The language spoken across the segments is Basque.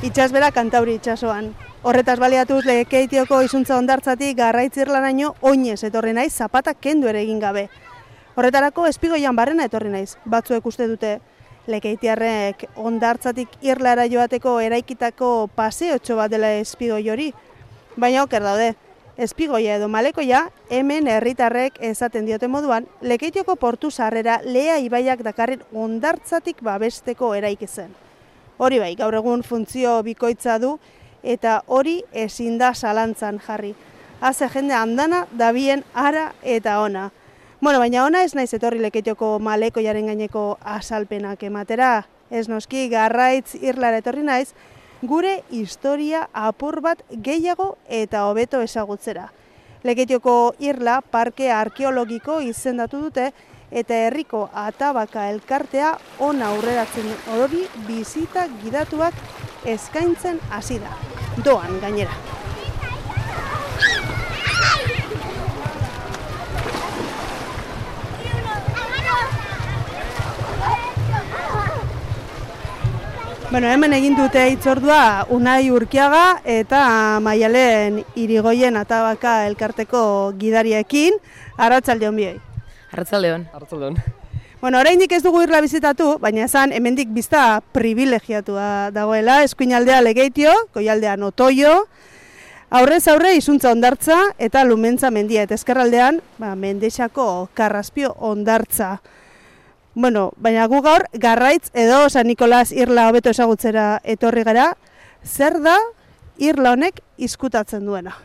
Itsasbera Kantauri itsasoan. Horretaz baliatuz Lekeitioko izuntza hondartzatik Garraitz Irlaraino oinez etorri naiz zapatak kendu ere egin gabe. Horretarako Espigoian barrena etorri naiz. Batzuek uste dute Lekeitiarrek hondartzatik Irlara joateko eraikitako paseotxo bat dela Espigoi hori. Baina oker daude. Espigoia edo Malekoia hemen herritarrek esaten dioten moduan Lekeitioko portu sarrera Lea ibaiak dakarren hondartzatik babesteko eraiki zen. Hori bai, gaur egun funtzio bikoitza du eta hori ezin da zalantzan jarri. Haze jende andana dabien ara eta ona. Bueno, baina ona ez naiz etorri Lekeitioko Malekoiaren gaineko azalpenak ematera. Ez noski Garraitz Irlara etorri naiz, gure historia apur bat gehiago eta hobeto ezagutzera. Lekeitioko Irla parke arkeologiko izendatu dute eta herriko Atabaka elkartea ona aurreratzen hori bizita gidatuak eskaintzen hasi da. Doan gainera. Bueno, hemen egin dute hitzordua Unai Urkiaga eta Maialen Irigoien Atabaka elkarteko gidariekin. Arratsalde on bioi. Arratsaldeon. Arratsaldeon. Bueno, oraindik ez dugu Irla bizitatu, baina esan hemendik bizta privilegiatua dagoela, eskuinaldea Lekeitio, goialdean Otoio, aurrez aurre izuntza hondartza eta Lumentza mendia, eta ezkerraldean Mendexako Karraspio hondartza. Bueno, baina gu gaur Garraitz edo San Nikolas Irla hobeto ezagutzera etorri gara. Zer da Irla honek izkutatzen duena?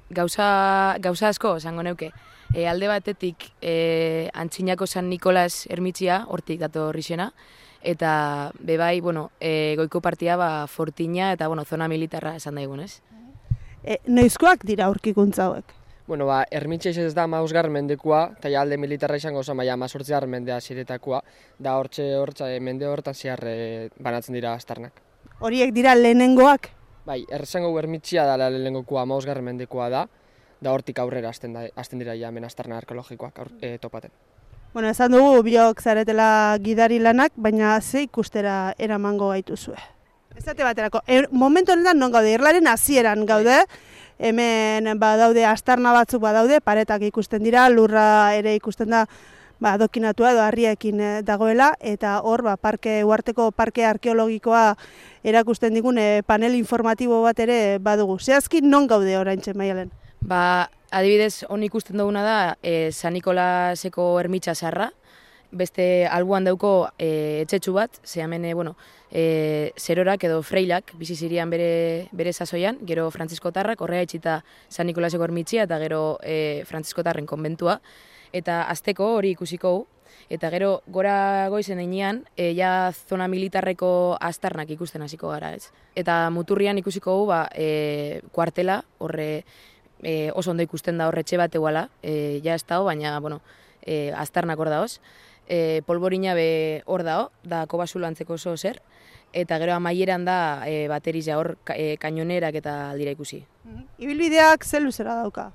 Gauza asko esango neuke. Alde batetik Antzinako San Nikolas ermitzia hortik dator izena, eta bebai, goiko partia Fortina eta zona militarra esan daigun, ez? Noizkoak dira aurkikuntza hauek? Bueno, ermitxe ez da 15. mendekua, eta alde militarra izango zen, 18. mendea ziretakoa, da hortxe mende hortan zehar banatzen dira aztarnak. Horiek dira lehenengoak? Bai, erresango ermitxia da lehenengokoa 15. mendekoa da hortik aurrera hasten dira hemen aztarna arkeologikoak topaten. Bueno, esan dugu biok zaretela gidari lanak, baina ze ikustera eramango gaituzue. Esate baterako, momentu honetan non gaude, Irlaren hasieran gaude, hemen badaude aztarna batzuk badaude, paretak ikusten dira, lurra ere ikusten da adokinatua edo harriekin dagoela, eta hor uharteko parke arkeologikoa erakusten digun panel informatibo bat ere badugu. Zehazki non gaude oraintxe, Maialen? Adibidez, hon ikusten duguna da San Nikolaseko ermitxa zarra, beste albuan dauko etxetxu bat, ze hemen, zerorak edo freilak bizi zirian bere sasoian, gero frantziskotarrak, horrega itxita San Nikolaseko ermitxia eta gero frantziskotarren konbentua, eta azteko hori ikusiko, eta gero gora goizen einean, ja zona militarreko aztarnak ikusten hasiko gara, ez? Eta muturrian ikusiko kuartela, horre oso ondo ikusten da horretxe bat eguala, ja ez dago, baina, aztarnak hor daoz. Polborina be hor dago, da kobasulo antzeko oso zer, eta gero amaieran da bateriza hor kainonerak eta aldira ikusi. Ibilbideak ze luzera dauka?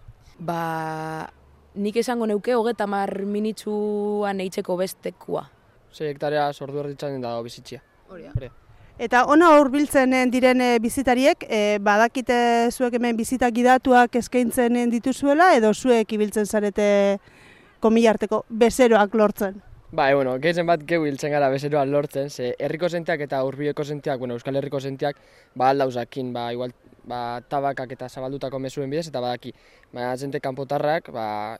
Nik esango neuke 30 minitzuan eitzeko bestekua. 6 hektarea sordu erditzen da bizitxia. Hori. Eta ona hurbiltzen diren bizitariek, badakite zuek hemen bizita gidatuak eskaintzen dituzuela, edo zuek ibiltzen zarete komilarteko bezeroak lortzen? Gehien bat geu hiltzen gara bezeroak lortzen, ze herriko zenteak eta hurbileko zenteak, Euskal Herriko zenteak, aldauzakin, igual, tabakak eta zabaldutako mezuen bidez, eta badaki, zente kanpotarrak,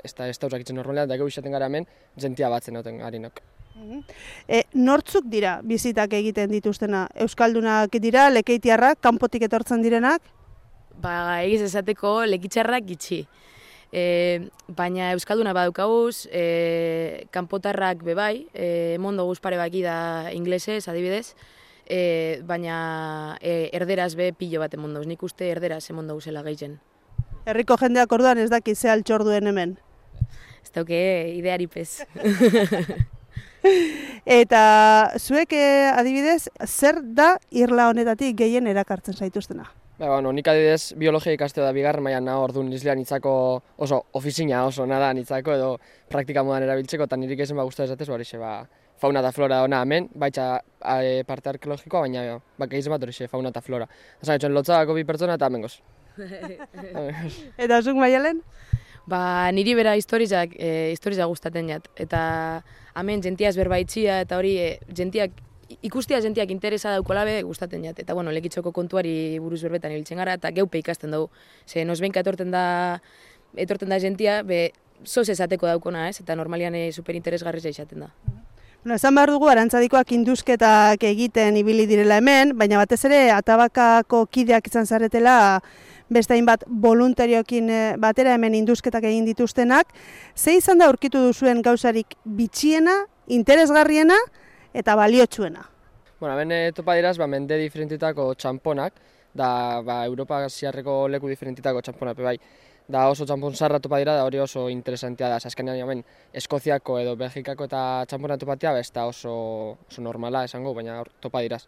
ez da usakitzen normalean, da geu izaten gara hemen, zentia batzen noten harinok. Nortzuk dira bizitak egiten dituztena? Euskaldunak dira, lekeitiarrak, kanpotik etortzen direnak? Egiz esateko lekitzarrak gitxi. Baina euskalduna badaukaguz, kanpotarrak bebai, mondo guzpare baki da inglesez, adibidez, baina erderaz be pilo bat emondoz, nik uste erderaz emondo guzela gehien. Herriko jendeak orduan ez daki ze altxorduen hemen? Ez dauke idearipez. Eta zuek adibidez, zer da Irla honetatik gehien erakartzen zaituztena? Nik adibidez biologia ikaste da bigarren mailan nago, orduan islean nitzako oso ofizina oso nada nitzako edo praktika modan erabiltzeko, eta nirik ezen guztua esatez, fauna eta flora ona hemen, baita parte arkeologikoa, baina bakaiz bat horixe fauna eta flora. Esan etxen lotzagako 2 pertsona eta hemengoz. Eta zuk Maialen? Ba, niri bera historizak gustatzen jat. Eta hemen jentia ezberbaitxia eta hori ikustia jentiak interesa daukolabe gustatzen jat. Eta bueno, Lekitzoko kontuari buruz berbetan ibiltzen gara eta geupe ikasten dugu. Ze nozbenka etorten da jentia, zoz esateko daukona, ez? Eta normalian superinteresgarria izaten da. Bueno, esan behar dugu, Arantzadikoak induzketak egiten ibili direla hemen, baina batez ere Atabakako kideak izan zaretela beste hainbat voluntarioekin batera hemen induzketak egin dituztenak. Ze izan da aurkitu duzuen gauzarik bitxiena, interesgarriena eta baliotsuena? Bueno, hemen topa diraz, mende diferentitako txamponak, da Europa ziarreko leku diferentitako txamponak, bai. Da oso txampon zarra topa dira, da hori oso interesantea da. Azkenean hemen Eskoziako edo Belgikako eta txampona topatia, ez da oso normala esango, baina topa diraz.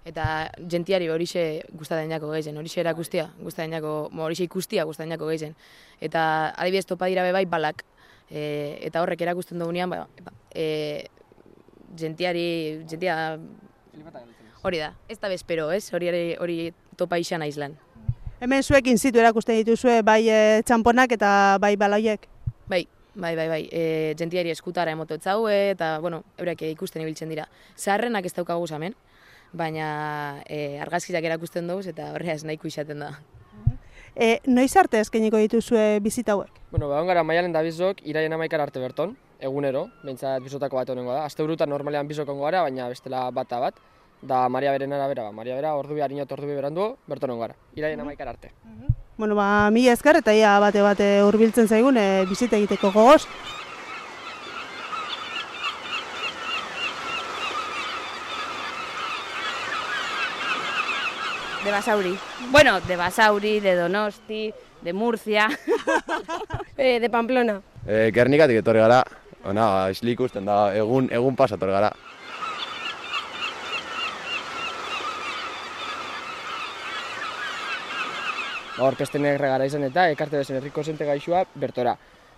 Eta jentiari horixe gustatzen jako gehien, horixe erakustia, horixe ikustia gustatzen jako gehien. Eta adibidez topa dira bai balak, eta horrek erakusten dugunean, jentia hori da, ez da bezpero, ez? Hori topa izan aizlan. Hemen zuek in situ erakusten dituzue bai txamponak eta bai baloiek? Bai. Jentiari eskutara emototzaue eta, bueno, eurek ikusten ibiltzen dira. Zaharrenak ez daukagu hemen, baina argazkiak erakusten dugu eta horreaz nahiko izaten da. Noiz arte eskainiko dituzue bizita hauek? Bueno, egon gara Maialen da bizok, iraien 11 arte berton, egunero, behintzat bizotako bat honengo da. Asteburutan normalean bizokongo gara, baina bestela bata bat. Da Maria Beren arabera, Maria Bera ordu bi harinot ordu bi berandu berton gara, iraien 11 arte. Bueno, mila esker eta ia bate hurbiltzen zaigun bizita egiteko gogoz. De Basauri. Bueno, de Basauri, de Donosti, de Murcia, de Pamplona. Gernikatik etorri gara, isli ikusten da, egun pasator gara. Aurkezten gara izan eta ekarte bezen herriko zente gaixoa bertora.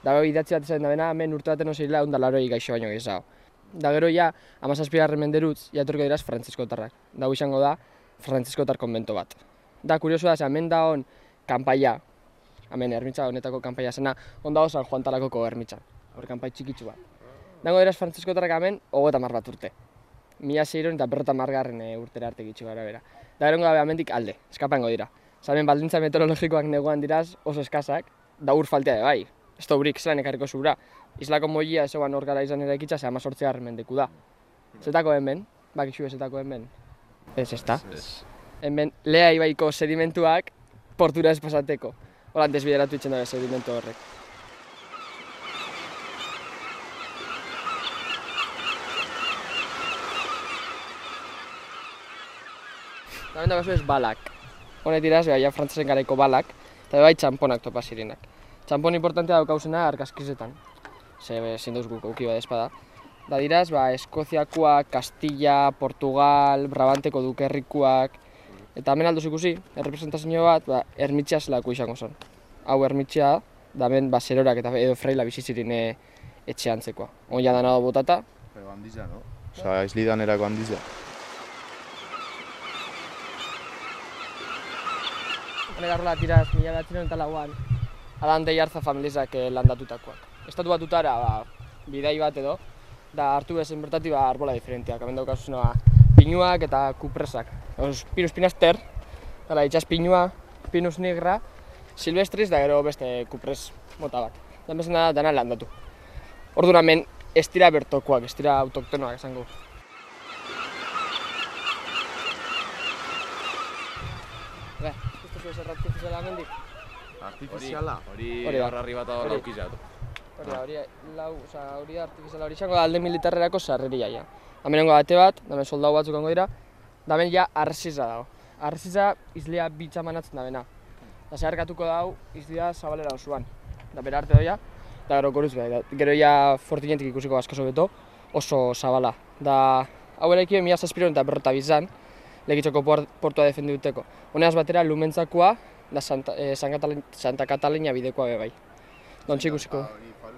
Da idatzi bat izan da bena, hemen urte baten oseila 180 gaixo baino gehiago. Da gero ja, 17. menderutz, etorriko diraz frantziskotarrak. Da izango da, frantziskotar konbento bat. Da, kurioso da, hemen da hon kanpaia, hemen ermitza honetako kanpaia zena, hon da San Juan Talakoko ermitza, hor kanpai txikitsu bat. Dago diraz frantziskotarrak hemen, 30 bat urte. 1600 eta 50 urtera arte gitxu gara bera. Da gero gabe hemendik alde, eskapango dira. Zamen baldintza meteorologikoak neguan diraz oso eskazak, da ur faltea de bai. Ez da urik zelan ekarriko zura. Islako moia ezoan hor gara izan eraikitza, ze 18 mendeku da. Zetako hemen, bakixu zetako hemen. Ez da. Hemen Lea ibaiko sedimentuak portura ez pasateko. Hola, desbideratu itzen dabe sedimentu horrek. Hemen da ez balak. Honet diraz, ja frantzasen garaiko balak, eta bai txamponak topa zirenak. Txampon importantea daukauzena argazkizetan, ze ezin dauz guk auki badezpada. Da diraz, Eskoziakoak, Kastilla, Portugal, Brabanteko dukerrikuak, eta hemen alduz ikusi, errepresentazio bat, ermitxea zelako izango zen. Hau ermitxea, da hemen zerorak eta edo freila bizizirin etxe antzekoa. Oia dana botata. Pero handiza, no? Osa, izlidan erako handiza. Garrola tiraz, 1904an, Adan de Jarza familizak landatutakoak. Estatu batutara bidai bat edo, da hartu bezen bertati arbola diferenteak. Hemen daukazuzena pinuak eta kupresak. Pinus pinaster, itxas pinua, pinus nigra, silvestris da gero beste kupres mota bat. Da bezen da dana landatu. Orduan hemen ez dira bertokoak, ez dira autoktonoak esango. Artifiziala mendik? Artifiziala? Hori harrarri bat hor laukizatu. Hori artifiziala hori izango da alde militarrerako sarreria ja. Hemenengo bate bat, hemen soldau batzuk ongo dira, da hemen ja arresiza dago. Arresiza izlea bitza manatzen da bena. Da zeharkatuko dago izlea zabalera osoan. Da bera arte doia, da gero goruz behar. Gero ja fortinetik ikusiko askaso beto, oso zabala. Da hau eraiki 1700 eta 50 Lekitzoko portua defendituteko. Honeaz batera Lumentzakoa da Santa Catalina bidekoa be bai. Dontxe ikusiko.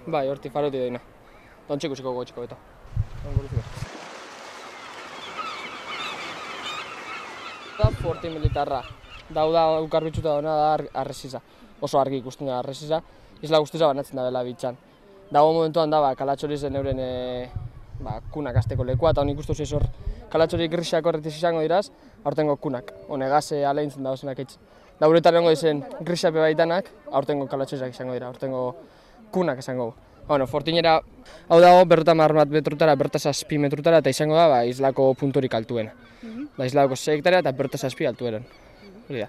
Bai, horti faroti doina. Dontxe ikusiko gotxiko beto. Da Forti militarra. Dau da ukarbitzuta dauna da arresiza. Oso argi ikusten da arresiza. Isla guztiza banatzen da bela bitxan. Dago momentuan da kalatxori zen euren kunak azteko lekua, eta honik ustuz hor kalatxori grisak horretiz izango diraz, aurtengo kunak. Honegaz aleintzen da ozenak eitz. Da uretan egongo dizen grisape baitanak, aurtengo kalatxorizak izango dira, aurtengo kunak izango. Bueno, Fortinera, hau dago, 50 metrutara, 7 metrutara, eta izango da islako punturik altuena. Da islako 6 hektarea eta 7 altueran. Hori da.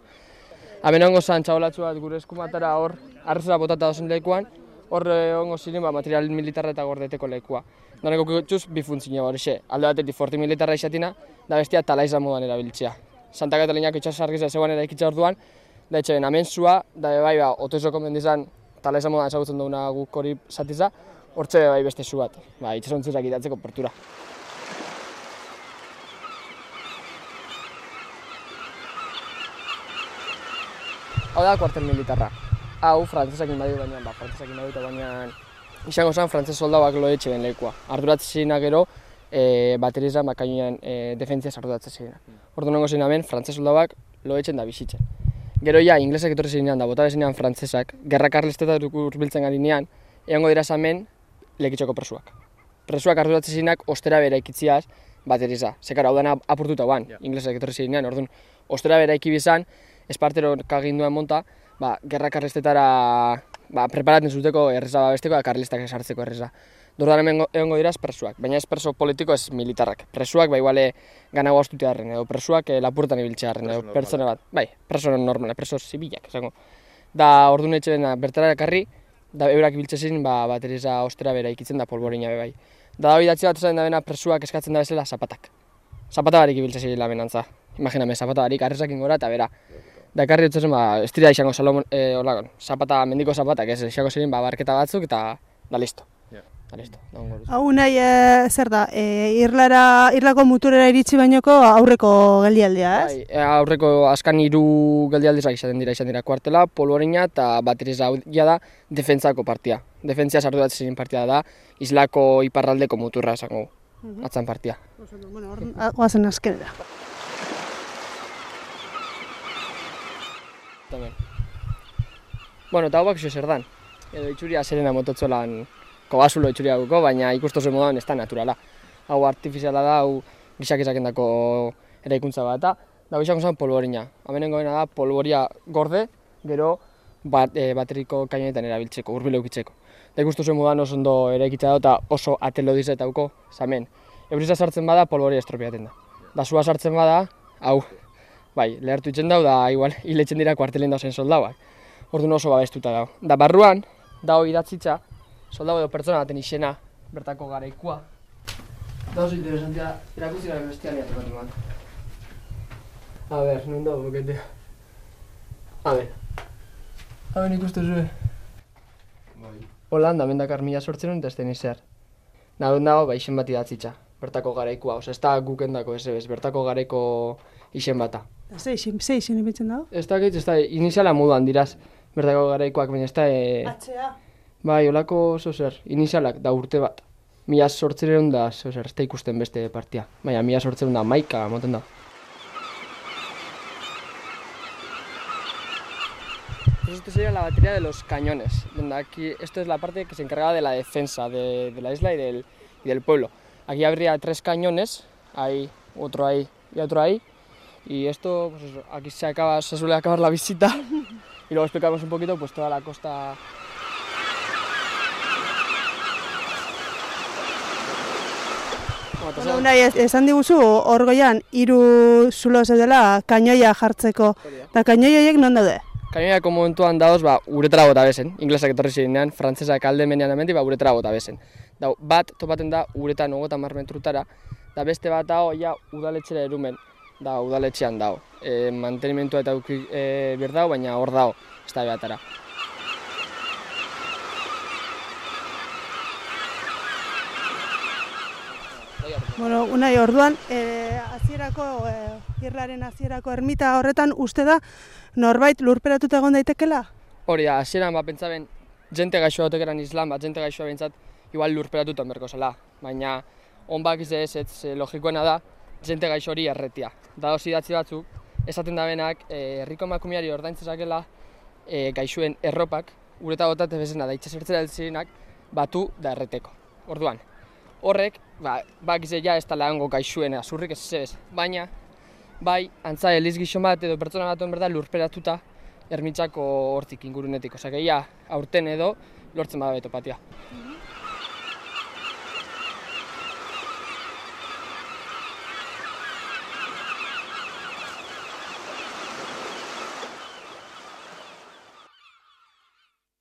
Hemen ongo zan txabolatxu bat gure eskumatara hor, arrezera botata dozen lekuan, hor ongo ziren material militarra eta gordeteko lekua. Daneko kutxuz bi funtzio horixe, alde batetik Forti militarra izatina, da bestia talaiza modan erabiltzea. Santa Kataliniako itxasargizea zegoen eraikitza orduan, da etxeben amentzua, da bai Otoizoko mendizan talaiza modan ezagutzen duguna guk hori zatiza, hortxe bai beste zu bat, itxasontzizak itatzeko portura. Hau da kuartel militarra. Hau frantzesakin baditu baina, izango zen frantzes soldauak loetxe ben lekua. Arduratzen zirenak gero, bateriza makainoan defentziaz arduratzen zirenak. Ordu nengo ziren hemen, frantses soldauak loetxen da bizitzen. Gero ja, inglesak etorri zirenean da, bota bezinean frantzesak, gerra karlistetak urbiltzen garinean, egongo diraz hemen lekitxoko presuak. Presuak arduratzen zirenak ostera bera ikitziaz bateriza. Zekara, hau dana apurtuta guan, inglesak etorri zirenean, orduan, ostera bera ikibizan, espartero kaginduen monta, gerra karlistetara preparatzen zuteko erreza babesteko eta karlistak esartzeko erreza. Dordan hemen egongo diraz presuak, baina ez preso politiko ez militarrak. Presuak iguale ganago astutea harren edo presuak lapurtan ibiltzea harren edo pertsona bat. Preso normala, preso zibilak esango. Da orduan etxeben bertara ekarri, da eurak ibiltzezin bateriza ostera bera ikitzen da polborina bai. Da bidatzi bat esan da bena presuak eskatzen da bezala zapatak. Zapata barik ibiltzezin lamenantza. Imaginame, zapata barik arrezakin gora eta bera. Da ekarri dut zen, ez dira izango zapata, mendiko zapatak, ez izango ziren barketa batzuk eta da listo. Da listo, da ongo. Hau nahi, zer da, irlako muturera iritsi bainoko aurreko geldialdea, ez? Aurreko azkan 3 geldialdizak izan dira kuartela, polvorina eta bateriza da defentsako partia. Defentzia sarturatzen ziren partia da, islako iparraldeko muturra esango, atzan partia. Bueno, goazen azkenera. Bueno, eta hau bakizio zer dan. Edo itxuria zerena mototzolan kobasulo itxuria guko, baina ikustozen modan ez da naturala. Hau artifiziala da, hau gizak ezakendako eraikuntza bat da. Da izango zen polvorina. Hemenengo dena da polvoria gorde, gero bateriko kainoetan erabiltzeko, hurbil eukitzeko. Da ikustozen modan oso ondo eraikitza da eta oso atelo dizetauko zamen. Euriza sartzen bada polvoria estropiaten da. Da sua sartzen bada, hau, lehertu itzen dau da igual hiletzen dira kuartelen dauzen soldauak. Orduan oso babestuta dago. Da barruan, dago idatzitza, soldau edo pertsona baten izena, bertako garaikua. Da oso interesantia, irakutzi gara bestialia tokatu bat. A ber, non dago boketea. A ber. Ikustu zuen. Holanda, mendakar 1800 eta ez den izar. Dago, izen bat idatzitza, bertako garaikua. Osa, ez da gukendako ez, bertako garaiko izen bata. Ze izen ibiltzen dago? Ez da, iniziala moduan diraz, bertako garaikoak, baina ez da... Atxea? Bai, olako zozer, inizialak da urte bat. 1800 da, zozer, ez da ikusten beste partia. Baina 1800 da, maika moten da. Esto sería la batería de los cañones. Aquí, esto es la parte que se encarga de la defensa de la isla y del pueblo. Aquí habría 3 cañones, ahí, otro ahí y otro ahí. Y esto, pues eso, aquí se suele acabar la visita y luego explicamos un poquito pues toda la costa. Bueno, nahi, esan diguzu, hor goian, 3 zulo zeudela kainoia jartzeko. Eta kainoi horiek non daude? Kainoiako momentuan dauz, uretara bota bezen. Inglesak etorri zirenean, frantzesak alde menean hemendik, uretara bota bezen. Bat topaten da uretan 30 metrutara, da beste bat dago ja udaletxera erumen. Da udaletxean dago. Mantenimentua eta ber dago, baina hor dago, ez da behatara. Bueno, Unai, orduan, irlaren hasierako ermita horretan uste da norbait lurperatuta egon daitekela? Hori da, hasieran pentsaben jente gaixoa otekeran islan, jente gaixoa behintzat igual lurperatuta berko zela. Baina, onbak ez logikoena da, jente gaixo hori erretia. Da idatzi batzuk, esaten da benak, herriko emakumeari ordaintzezakela gaixuen erropak, ureta botate bezena da itxasertzera heltzirenak, batu da erreteko. Orduan, horrek, bakize ja ez tala hango gaixuen azurrik ez zebez, baina, bai, antza eliz gixo bat edo pertsona bat berda lurperatuta Ermitzako hortik ingurunetik. Osea, aurten edo lortzen bada betopatia.